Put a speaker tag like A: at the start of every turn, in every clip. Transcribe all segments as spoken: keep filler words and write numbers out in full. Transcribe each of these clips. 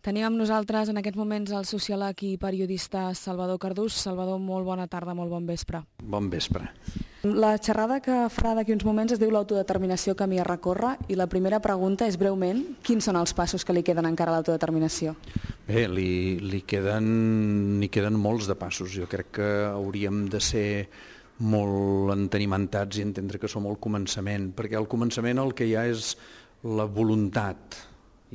A: Tenim amb nosaltres en aquests moments el sociòleg i periodista Salvador Cardús. Salvador, molt bona tarda, molt bon vespre.
B: Bon vespre.
A: La xerrada que farà d'aquí uns moments es diu l'autodeterminació camí a recórrer i la primera pregunta és breument, quins són els passos que li queden encara a l'autodeterminació?
B: Bé, li, li queden, li queden molts de passos. Jo crec que hauríem de ser molt entenimentats i entendre que som al començament, perquè al començament el que hi ha és la voluntat,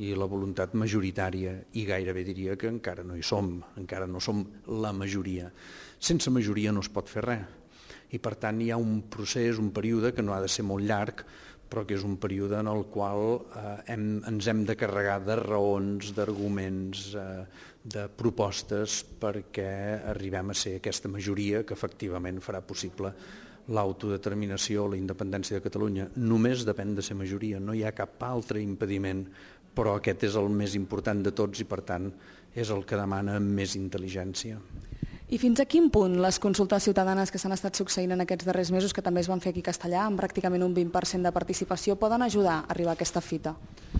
B: i la voluntat majoritària, i gairebé diria que encara no hi som, encara no som la majoria. Sense majoria no es pot fer res, i per tant hi ha un procés, un període que no ha de ser molt llarg, però que és un període en el qual eh, hem, ens hem de carregar de raons, d'arguments, eh, de propostes perquè arribem a ser aquesta majoria que efectivament farà possible l'autodeterminació, la independència de Catalunya. Només depèn de ser majoria, no hi ha cap altre impediment, però aquest és el més important de tots i per tant és el que demana més intel·ligència.
A: I fins a quin punt les consultes ciutadanes que s'han estat succeint en aquests darrers mesos, que també es van fer aquí a Castellà, amb pràcticament un vint per cent de participació, poden ajudar a arribar a aquesta fita?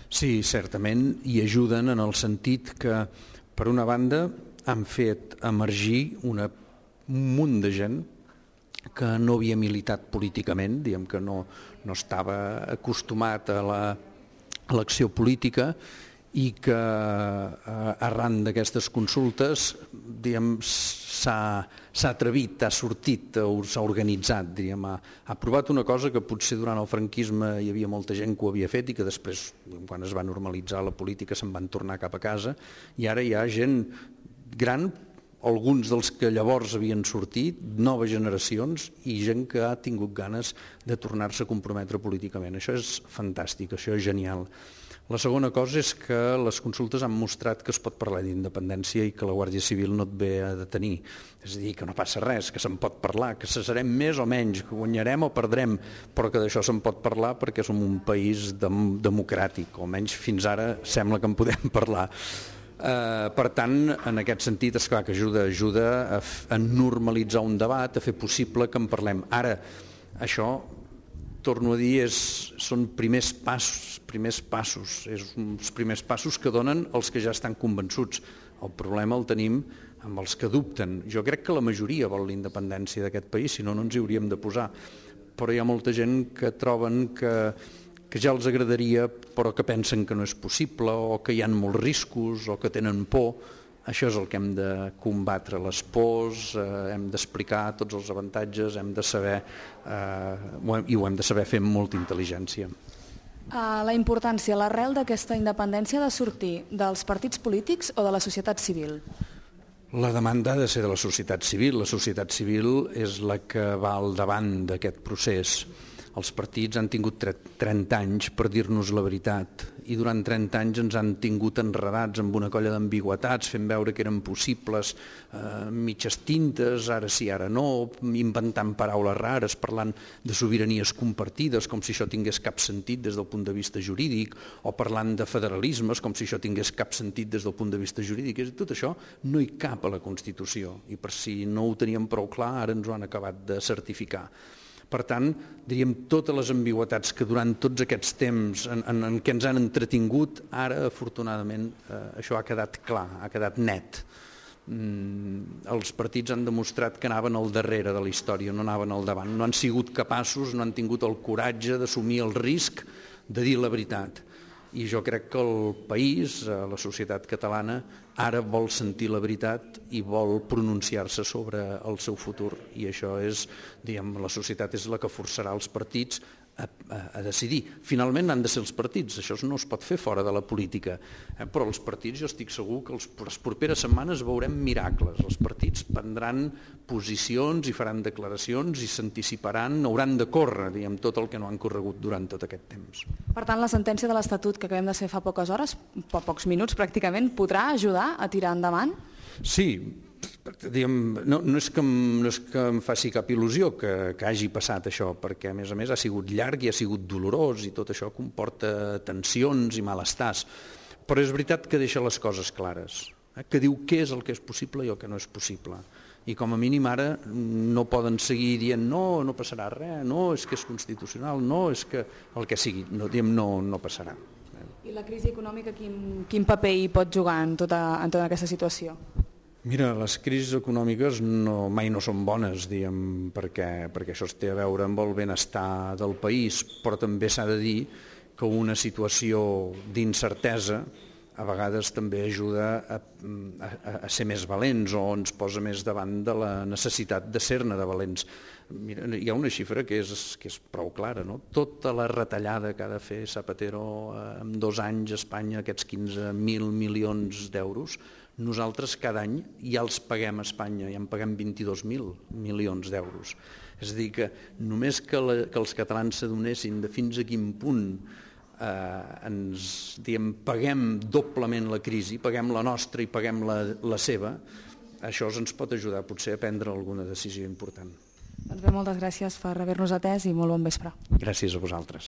B: Sí, certament, i ajuden en el sentit que, per una banda, han fet emergir una, un munt de gent que no havia militat políticament, diguem que no, no estava acostumat a la a l'acció política i que eh, arran d'aquestes consultes s'ha atrevit, ha sortit, s'ha organitzat, diríem, ha, ha provat una cosa que potser durant el franquisme hi havia molta gent que ho havia fet i que després, quan es va normalitzar la política, se'n van tornar cap a casa i ara hi ha gent gran, alguns dels que llavors havien sortit, noves generacions i gent que ha tingut ganes de tornar-se a comprometre políticament. Això és fantàstic, això és genial. La segona cosa és que les consultes han mostrat que es pot parlar d'independència i que la Guàrdia Civil no et ve a detenir. És a dir, que no passa res, que se'n pot parlar, que cessarem més o menys, que guanyarem o perdrem, però que d'això se'n pot parlar perquè som un país dem democràtic, o almenys fins ara sembla que en podem parlar. Uh, per tant, en aquest sentit, és clar que ajuda, ajuda a, a normalitzar un debat, a fer possible que en parlem. Ara, això, torno a dir, és, són primers passos, primers passos, és uns primers passos que donen els que ja estan convençuts. El problema el tenim amb els que dubten. Jo crec que la majoria vol la independència d'aquest país, si no, no ens hi hauríem de posar. Però hi ha molta gent que troben que que ja els agradaria però que pensen que no és possible o que hi ha molts riscos o que tenen por. Això és el que hem de combatre, les pors, eh, hem d'explicar tots els avantatges, hem de saber, eh, i ho hem de saber fer amb molta intel·ligència.
A: Uh, la importància, l'arrel d'aquesta independència ha de sortir dels partits polítics o de la societat civil?
B: La demanda ha de ser de la societat civil. La societat civil és la que va al davant d'aquest procés. Els partits han tingut trenta anys per dir-nos la veritat i durant trenta anys ens han tingut enredats amb una colla d'ambigüetats, fent veure que eren possibles eh, mitges tintes, ara sí, ara no, inventant paraules rares, parlant de sobiranies compartides com si això tingués cap sentit des del punt de vista jurídic, o parlant de federalismes com si això tingués cap sentit des del punt de vista jurídic. I tot això no hi cap a la Constitució i per si no ho teníem prou clar ara ens ho han acabat de certificar. Per tant, diríem, totes les ambigüetats que durant tots aquests temps en, en, en què ens han entretingut, ara, afortunadament, eh, això ha quedat clar, ha quedat net. Mm, els partits han demostrat que anaven al darrere de la història, no anaven al davant. No han sigut capaços, no han tingut el coratge d'assumir el risc de dir la veritat. I jo crec que el país, la societat catalana, ara vol sentir la veritat i vol pronunciar-se sobre el seu futur. I això és, diguem, la societat és la que forçarà els partits a, a, a decidir. Finalment han de ser els partits, això no es pot fer fora de la política, eh? Però els partits, jo estic segur que els, les properes setmanes veurem miracles. Els partits prendran posicions i faran declaracions i s'anticiparan, hauran de córrer, diguem, tot el que no han corregut durant tot aquest temps.
A: Per tant, la sentència de l'Estatut que acabem de fer fa poques hores, fa pocs minuts pràcticament, podrà ajudar a tirar endavant?
B: Sí, diguem, no, no, és que, no és que em faci cap il·lusió que, que hagi passat això, perquè a més a més ha sigut llarg i ha sigut dolorós i tot això comporta tensions i malestars, però és veritat que deixa les coses clares, eh? Que diu què és el que és possible i el que no és possible. I com a mínim ara no poden seguir dient no, no passarà res, no, és que és constitucional, no, és que el que sigui, no, diem no, no passarà.
A: I la crisi econòmica quin, quin paper hi pot jugar en tota, en tota aquesta situació?
B: Mira, les crisis econòmiques no, mai no són bones, diguem, perquè, perquè això té a veure amb el benestar del país, però també s'ha de dir que una situació d'incertesa a vegades també ajuda a, a, a ser més valents o ens posa més davant de la necessitat de ser-ne de valents. Mira, hi ha una xifra que és, que és prou clara, no? Tota la retallada que ha de fer Zapatero en dos anys a Espanya, aquests quinze mil milions d'euros, nosaltres cada any ja els paguem a Espanya, ja en paguem vint-i-dos mil milions d'euros. És a dir, que només que, la, que els catalans s'adonessin de fins a quin punt eh, ens diguem, paguem doblement la crisi, paguem la nostra i paguem la, la seva, això ens pot ajudar potser a prendre alguna decisió important.
A: Doncs bé, moltes gràcies per haver-nos atès i molt bon vespre.
B: Gràcies a vosaltres.